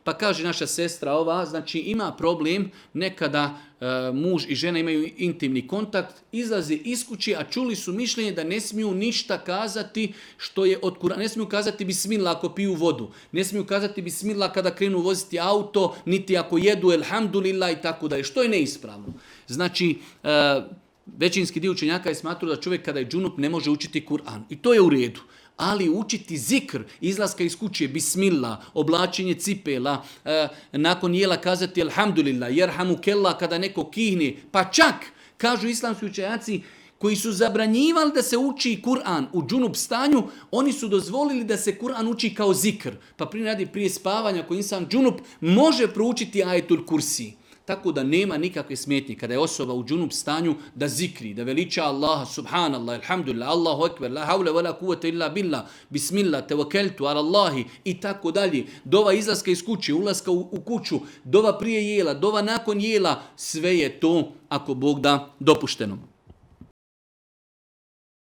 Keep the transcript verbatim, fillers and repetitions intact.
Pa kaže naša sestra ova, znači ima problem nekada e, muž i žena imaju intimni kontakt, izlaze iz kuće, a čuli su mišljenje da ne smiju ništa kazati što je od Kur'ana. Ne smiju kazati bismillah ako piju vodu, ne smiju kazati bismillah kada krenu voziti auto, niti ako jedu elhamdulillah i tako dalje, što je neispravno. Znači, e, većinski dio učenjaka je smatrao da čovjek kada je džunup ne može učiti Kur'an. I to je u redu. Ali učiti zikr, izlaska iz kuće, bismillah, oblačenje cipela, e, nakon jela kazati alhamdulillah, jerhamu kella kada neko kihne, pa čak, kažu islamski učenjaci, koji su zabranjivali da se uči Kur'an u džunup stanju, oni su dozvolili da se Kur'an uči kao zikr. Pa prije radi prije spavanja, koji insan džunup može proučiti ajetul kursi. Tako da nema nikakve smetnje kada je osoba u džunup stanju da zikri, da veliča Allaha, subhanallah, alhamdulillah, Allahu ekber, la havle wa la kuvvete illa billah, bismillah, tevakeltu ala Allahi i tako dalje. Dova izlaska iz kuće, ulaska u, u kuću, dova prije jela, dova nakon jela, sve je to, ako Bog da, dopušteno.